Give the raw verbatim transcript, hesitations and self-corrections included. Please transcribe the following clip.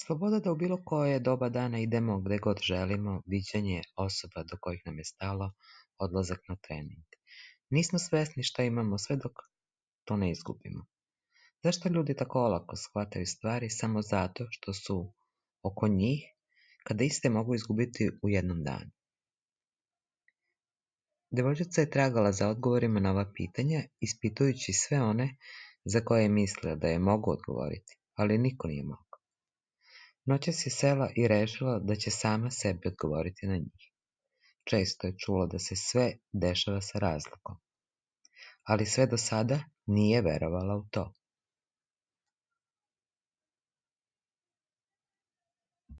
Sloboda da u bilo koje doba dana idemo gde god želimo, viđenje osoba do kojih nam je stalo, odlazak na trening. Nismo svesni šta imamo sve dok to ne izgubimo. Zašto ljudi tako olako shvataju stvari samo zato što su oko njih, kada iste mogu izgubiti u jednom danu? Devojčica je tragala za odgovorima na ova pitanja, ispitujući sve one za koje je mislila da je mogu odgovoriti, ali niko nije mogao. Noćas je sela i rešila da će sama sebi odgovoriti na njih. Često je čula da se sve dešava sa razlogom, ali sve do sada nije verovala u to.